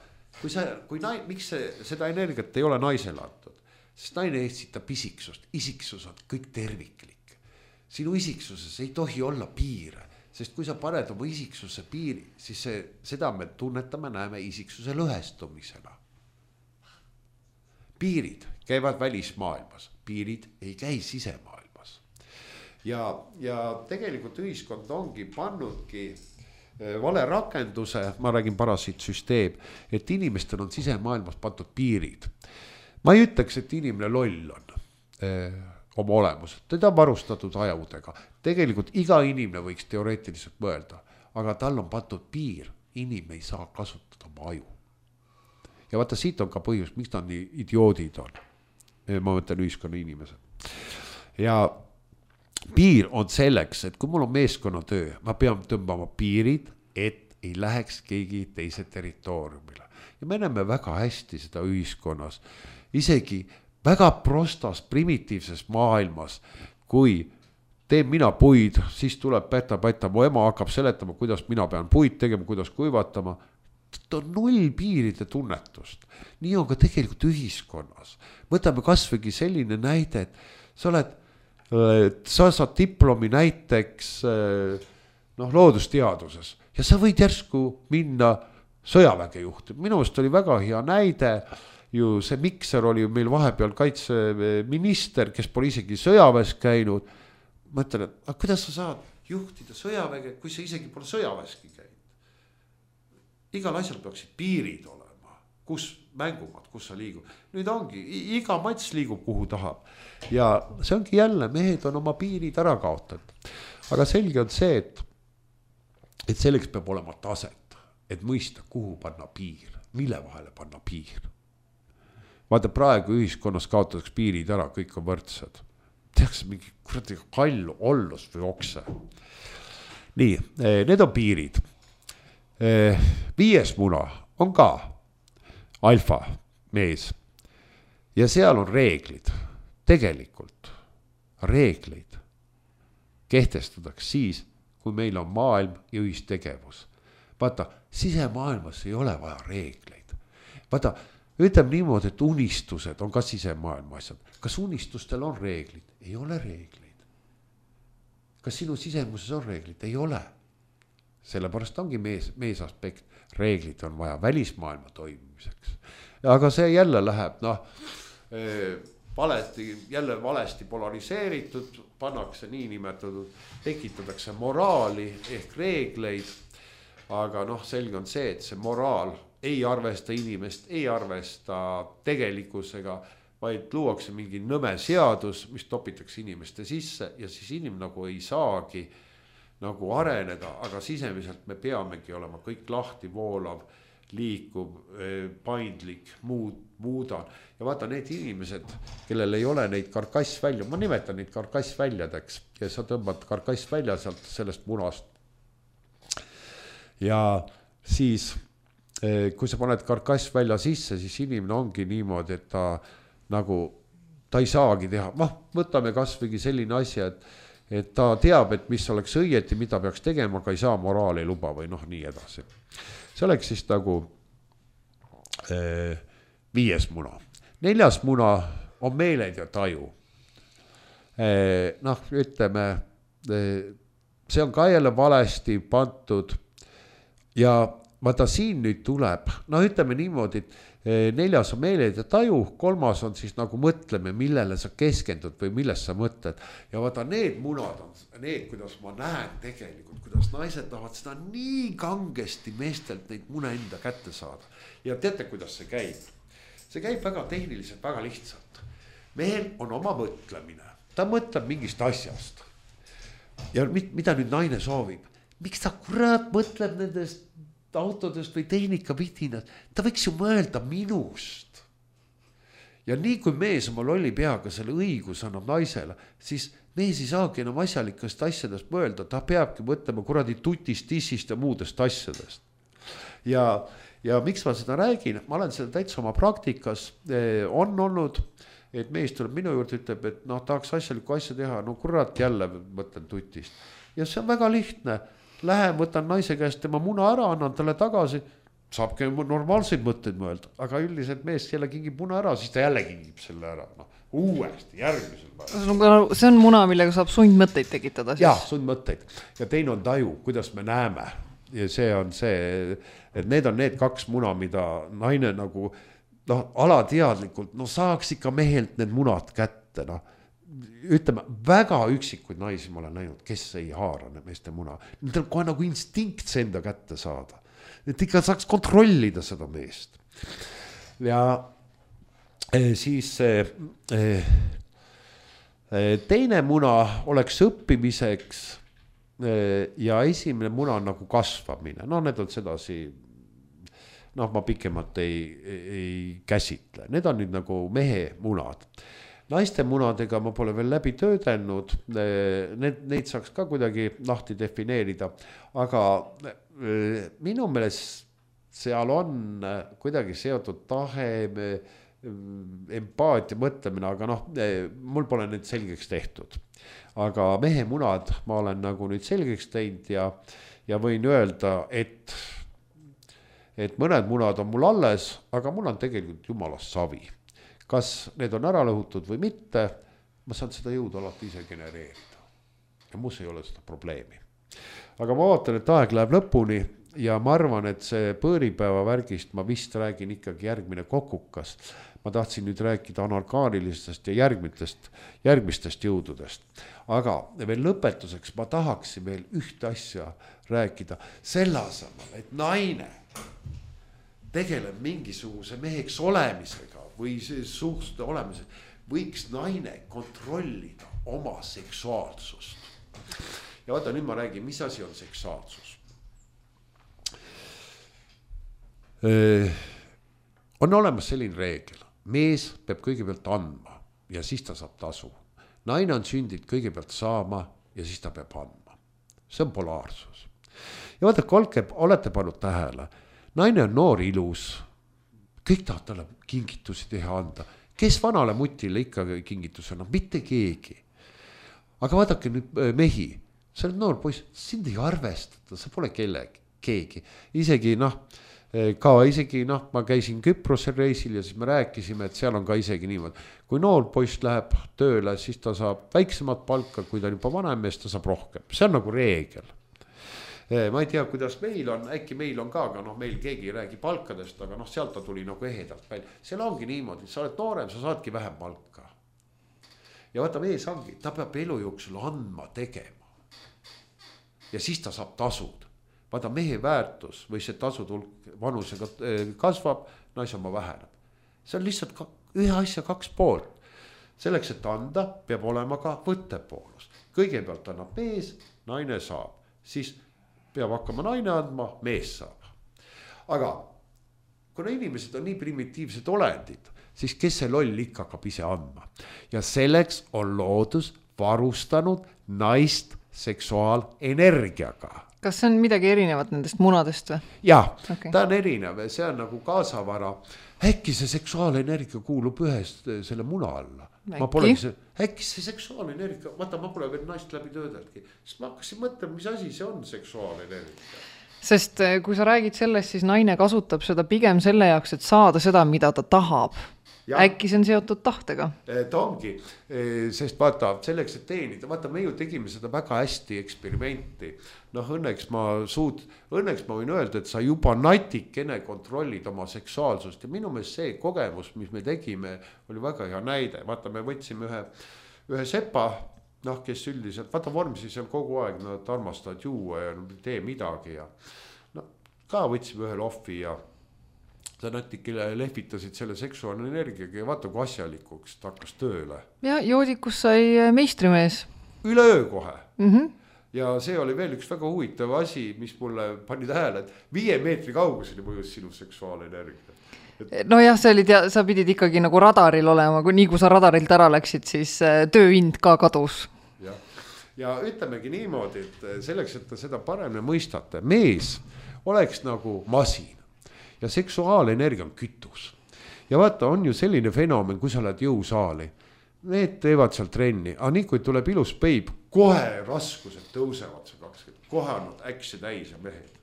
miks seda energiat ei ole naisele antud? Sest naine eksitab isiksust, isiksus on kõik terviklik. Sinu isiksuses ei tohi olla piire, sest kui sa paned oma isiksuse piiri, siis seda me tunnetame, näeme isiksuse lõhestumisena. Piirid käivad välismaailmas, piirid ei käi sisemaailmas. Ja tegelikult ühiskond ongi pannudki vale rakenduse, ma räägin parasiitsüsteem, et inimestel on sisemaailmas pandud piirid. Ma ei ütleks, et inimene loll on oma olemus, teda on varustatud ajudega. Tegelikult iga inimene võiks teoreetiliselt mõelda, aga tal on pandud piir, inimene ei saa kasutada oma aju. Ja vaata, siit on ka põhjus, miks ta nii idioodid on. Ma mõtlen ühiskonna inimesed. Ja piir on selleks, et kui mul on meeskonnatöö, ma pean tõmbama piirid, et ei läheks keegi teise territooriumile. Ja me näeme väga hästi seda ühiskonnas, isegi väga prostas, primitiivses maailmas, kui teen mina puid, siis tuleb päta, mu ema hakkab seletama, kuidas mina pean puid tegema, kuidas kuivatama. Ta on 0 piiride tunnetust. Nii on ka tegelikult ühiskonnas. Võtame kasvõigi selline näide, et sa saad diplomi näiteks loodusteaduses ja sa võid järsku minna sõjaväge juhtima. Minu meelest oli väga hea näide, ju see Mikser oli meil vahepeal kaitseminister, kes pole isegi sõjaväes käinud. Ma ütlen, et kuidas sa saad juhtida sõjaväge, kui sa isegi pole sõjaväeski käinud? Igal asjal peaksid piirid olema, kus mängumad, kus sa liigub. Nüüd ongi, iga mats liigub kuhu tahab. Ja see ongi jälle, mehed on oma piirid ära kaotatud. Aga selge on see, et selleks peab olema taset, et mõista, kuhu panna piir, mille vahele panna piir. Vaata, praegu ühiskonnas kaotatakse piirid ära, kõik on võrdsed. Tehakse mingi kuradi kallu, ollus või okse. Nii, need on piirid. 5. muna on ka alfa mees ja seal on reeglid. Tegelikult reegleid kehtestatakse siis, kui meil on maailm ja ühistegevus. Vaata, sisemaailmas ei ole vaja reegleid. Vaata, ütleme niimoodi, et unistused on ka sisemaailma asjad. Kas unistustel on reeglid? Ei ole reegleid. Kas sinu sisemuses on reeglid? Ei ole. Sellepärast ongi mees aspekt, reeglid on vaja välismaailma toimimiseks. Aga see jälle läheb, valesti polariseeritud, pannakse niinimetatud, tekitatakse moraali ehk reegleid, aga selge on see, et see moraal ei arvesta inimest, ei arvesta tegelikkusega, vaid luuakse mingi nõme seadus, mis topitakse inimeste sisse ja siis inimene nagu ei saagi nagu areneda, aga sisemiselt me peamegi olema kõik lahti voolav, liikuv, paindlik, muudan. Ja vaata need inimesed, kellel ei ole neid karkassvälja, ma nimetan neid karkassväljadeks ja sa tõmbad karkassvälja sealt sellest munast. Ja siis, kui sa paned karkassvälja sisse, siis inimene ongi niimoodi, et ta ei saagi teha. Võtame kasvõigi selline asja, et ta teab, et mis oleks õieti, mida peaks tegema, aga ei saa, moraal ei luba või nii edasi. See oleks siis nagu 5. muna. 4. muna on meeled ja taju. Ütleme, see on ka jälle valesti pandud ja vaata siin nüüd tuleb, no ütleme niimoodi, et 4. on meeled ja taju, 3. on siis nagu mõtleme, millele sa keskendud või millest sa mõtled. Ja vaata need munad on need, kuidas ma näen tegelikult, kuidas naised tahavad seda nii kangesti meestelt neid mune enda kätte saada. Ja teate, kuidas see käib? See käib väga tehniliselt, väga lihtsalt. Mehel on oma mõtlemine, ta mõtleb mingist asjast. Ja mida nüüd naine soovib? Miks ta kurat mõtleb nendest autodest või tehnikavidinast? Ta võiks ju mõelda minust. Ja nii kui mees oma lolli peaga selle õigus annab naisele, siis mees ei saagi enam asjalikest asjadest mõelda, ta peabki mõtlema kuradi tutist, tissist ja muudest asjadest. Ja miks ma seda räägin? Ma olen seda täitsa oma praktikas on olnud, et mees tuleb minu juurde, ütleb, et tahaks asjalikku asja teha, no kurat jälle mõtlen tutist. Ja see on väga lihtne. Lähen, võtan naise käest tema muna ära, annan talle tagasi, saabki normaalseid mõtteid mõelda, aga üldiselt mees jälle kingib muna ära, siis ta jälle kingib selle ära, uuesti, järgmisel päeval. See on muna, millega saab sundmõtteid tekitada siis? Jah, sundmõtteid. Ja teine on taju, kuidas me näeme. Ja see on see, et need on need 2 muna, mida naine nagu alateadlikult, saaks ikka mehelt need munad kätte, ütleme, väga üksikuid naisi ma olen näinud, kes ei haara meeste muna. Need on kohe nagu instinkt see enda kätte saada. Et ikka saaks kontrollida seda meest. Ja siis teine muna oleks õppimiseks ja esimene muna on nagu kasvamine. Need on sedasi, ma pikemalt ei käsitle. Need on nüüd nagu mehe munad. Naiste munadega ma pole veel läbi töödelnud, neid saaks ka kuidagi lahti defineerida, aga minu meelest seal on kuidagi seotud tahe, empaatia, mõtlemine, aga mul pole need selgeks tehtud. Aga mehe munad ma olen nagu nüüd selgeks teinud ja võin öelda, et mõned munad on mul alles, aga mul on tegelikult jumalast savi. Kas need on ära lõhutud või mitte, ma saan seda jõudu alati ise genereerida. Ja muus ei ole seda probleemi. Aga ma vaatan, et aeg läheb lõpuni ja ma arvan, et see põõripäeva värgist ma vist räägin ikkagi järgmine kokukas. Ma tahtsin nüüd rääkida anarkaanilistest ja järgmistest jõududest. Aga veel lõpetuseks ma tahaksin veel ühte asja rääkida selle asemel, et naine tegeleb mingisuguse meheks olemisega või suhte olemisega, võiks naine kontrollida oma seksuaalsust. Ja vaata, nüüd ma räägin, mis asi on seksuaalsus. On olemas selline reegel. Mees peab kõigepealt andma ja siis ta saab tasu. Naine on sündinud kõigepealt saama ja siis ta peab andma. See on polaarsus. Ja vaata, olete pannud tähele. Naine on noor, ilus, kõik tahavad talle kingitusi teha anda. Kes vanale mutile ikka kingituse annab? Mitte keegi. Aga vaadake nüüd mehi, sa oled noor poiss, sind ei arvestata, sa pole keegi. Isegi ma käisin Küprosel reisil ja siis me rääkisime, et seal on ka isegi niimoodi. Kui noor poiss läheb tööle, siis ta saab väiksemat palka, kui ta on juba vanem mees, ta saab rohkem. See on nagu reegel. Ma ei tea, kuidas meil on, äkki meil on ka, aga meil keegi ei räägi palkadest, aga sealt ta tuli nagu ehedalt välja. Seal ongi niimoodi, sa oled noorem, sa saadki vähem palka. Ja vaata, mees ongi, ta peab elu jooksul andma, tegema. Ja siis ta saab tasud. Vaata, mehe väärtus või see tasutulk vanusega kasvab, naise oma väheneb. See on lihtsalt ühe asja 2 poolt. Selleks, et anda, peab olema ka võttepoolus. Kõigepealt annab mees, naine saab. Siis peab hakkama naine andma, mees saab. Aga kuna inimesed on nii primitiivsed olendid, siis kes see loll ikka hakkab ise andma. Ja selleks on loodus varustanud naist seksuaalenergiaga. Kas see on midagi erinevat nendest munadest või? Jah, okay. Ta on erinev, see on nagu kaasavara. Äkki see seksuaalenergia kuulub ühest selle muna alla. Äkki see seksuaalenergia, vaata, ma pole veel naist läbi töödelgi. Siis ma hakkasin mõtlema, mis asi see on seksuaalenergia. Sest kui sa räägid sellest, siis naine kasutab seda pigem selle jaoks, et saada seda, mida ta tahab. Ja. Äkki see on seotud tahtega? Ta ongi, sest vaata, selleks, et teenida, vaata, me ju tegime seda väga hästi eksperimenti. Noh, õnneks ma võin öelda, et sa juba natikene kontrollid oma seksuaalsust ja minu meelest see kogemus, mis me tegime, oli väga hea näide. Vaata, me võtsime ühe sepa, noh, kes üldiselt, vaata vormsi seal kogu aeg, nad armastavad juua ja tee midagi ja no, ka võtsime ühe lohvi ja sa natikene lehvitasid selle seksuaalne energiaga ja vaata, kui asjalikuks ta hakkas tööle. Ja joodikus sai meistrimees. Üleöö kohe. Ja see oli veel üks väga huvitav asi, mis mulle pani tähele, et 5 meetri kauguseni mõjus sinu seksuaalenergia. No jah, sa pidid ikkagi nagu radaril olema, nii kui sa radarilt ära läksid, siis tööhind ka kadus. Ja ütlemegi niimoodi, et selleks, et ta seda paremini mõistate, mees oleks nagu masin. Ja seksuaalenergia on kütus. Ja vaata, on ju selline fenomen, kui sa oled jõusaali. Need teevad seal trenni, aga nii kui tuleb ilus peib, kohe raskused tõusevad see 20. Kohe on äksi täis ja mehed.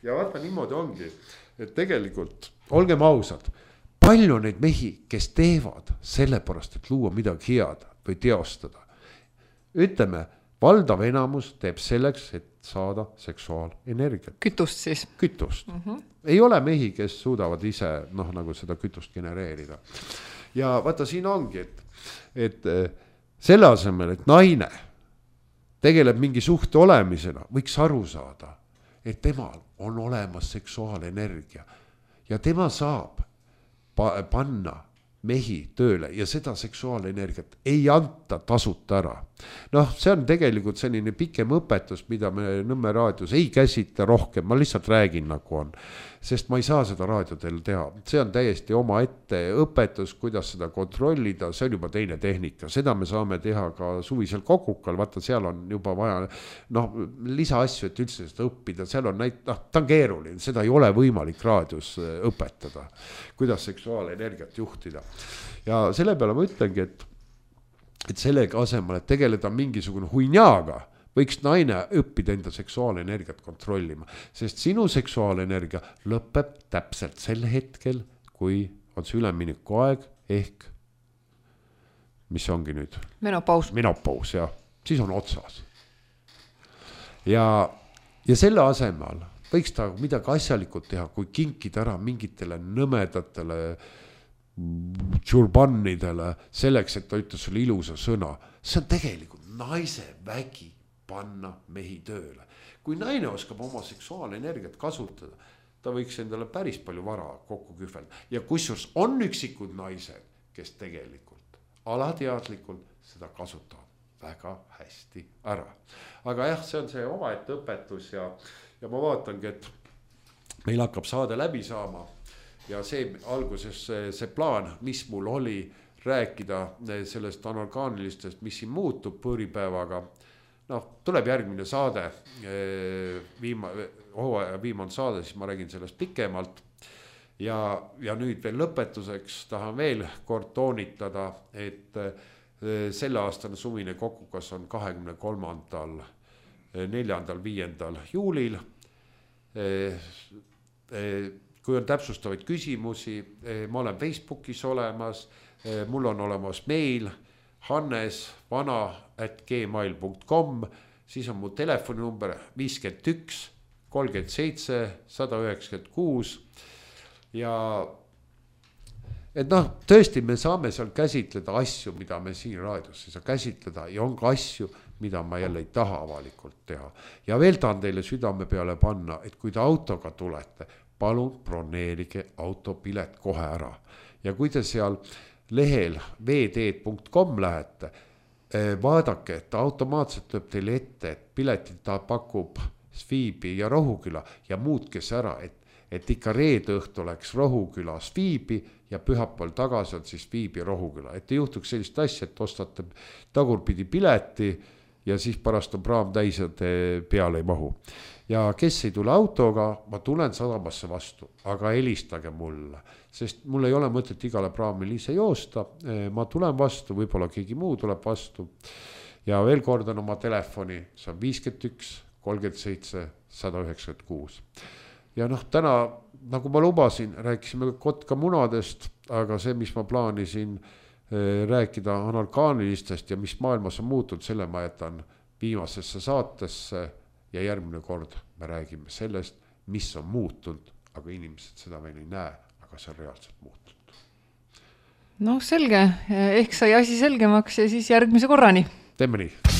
Ja vaata, niimoodi ongi, et tegelikult, olgem ausad, palju neid mehi, kes teevad sellepärast, et luua midagi head või teostada. Ütleme, valdav enamus teeb selleks, et saada seksuaalenergiat. Kütust siis? Kütust. Ei ole mehi, kes suudavad ise nagu seda kütust genereerida. Ja vaata, siin ongi, et selle asemel, et naine tegeleb mingi suhte olemisena, võiks aru saada, et temal on olemas seksuaalenergia ja tema saab panna mehi tööle ja seda seksuaalenergiat ei anta tasuta ära. Noh, see on tegelikult selline pikem õpetus, mida me Nõmme raadios ei käsita rohkem, ma lihtsalt räägin nagu on, sest ma ei saa seda raadiodel teha. See on täiesti oma ette õpetus, kuidas seda kontrollida, see on juba teine tehnika. Seda me saame teha ka suvisel kokukal, vaata seal on juba vaja lisaasju, et üldse seda õppida, seal on ta on keeruline, seda ei ole võimalik raadios õpetada, kuidas seksuaalenergiat juhtida. Ja selle peale ma ütlengi, et sellega asemel, et tegeleda mingisugune huinjaaga, võiks naine õppida enda seksuaalenergiat kontrollima, sest sinu seksuaalenergia lõpeb täpselt sel hetkel, kui on see ülemineku aeg ehk, mis ongi nüüd? Menopaus, jah, siis on otsas. Ja selle asemel võiks ta midagi asjalikult teha, kui kinkida ära mingitele nõmedatele tšurbannidele selleks, et ta ütles sulle ilusa sõna. See on tegelikult naise vägi panna mehi tööle. Kui naine oskab oma seksuaalenergiat kasutada, ta võiks endale päris palju vara kokku kühvelda. Ja kusjuures on üksikud naised, kes tegelikult alateadlikult seda kasutavad väga hästi ära. Aga jah, see on see omaette õpetus ja ma vaatangi, et meil hakkab saade läbi saama. Ja see alguses see plaan, mis mul oli rääkida sellest anorgaanilistest, mis siin muutub põõripäevaga. Tuleb järgmine saade, viimane saade, siis ma räägin sellest pikemalt. Ja nüüd veel lõpetuseks tahan veel kord toonitada, et selle aastane suvine kokukas on 23. 4. 5. juulil. Kui on täpsustavaid küsimusi, ma olen Facebookis olemas, mul on olemas meil hannesvana@gmail.com, siis on mu telefoninumber 51 37 196 ja et tõesti me saame seal käsitleda asju, mida me siin raadios ei saa käsitleda ja on ka asju, mida ma jälle ei taha avalikult teha. Ja veel tahan teile südame peale panna, et kui te autoga tulete, palun broneerige autopilet kohe ära. Ja kui te seal lehel vd.com lähete, vaadake, et automaatselt lööb teile ette, et piletit ta pakub Sviibi ja Rohuküla ja muutke see ära, et ikka reede õhtu oleks Rohuküla Sviibi ja pühapäeval tagasi on siis Sviibi ja Rohuküla. Et ei juhtuks sellist asja, et ostate tagurpidi pileti ja siis pärast on praam täis ja te peale ei mahu. Ja kes ei tule autoga, ma tulen sadamasse vastu, aga helistage mulle, sest mul ei ole mõtet igale praamil ise joosta. Ma tulen vastu, võib-olla keegi muu tuleb vastu. Ja veel kordan oma telefoni, see on 51 37 196. Ja noh, täna, nagu ma lubasin, rääkisime kotka munadest, aga see, mis ma plaanisin rääkida analkaanilistest ja mis maailmas on muutunud, selle ma jätan viimasesse saatesse ja järgmine kord me räägime sellest, mis on muutunud, aga inimesed seda veel ei näe, aga see on reaalselt muutunud. Noh, selge, ehk sai asi selgemaks ja siis järgmise korrani. Teeme nii.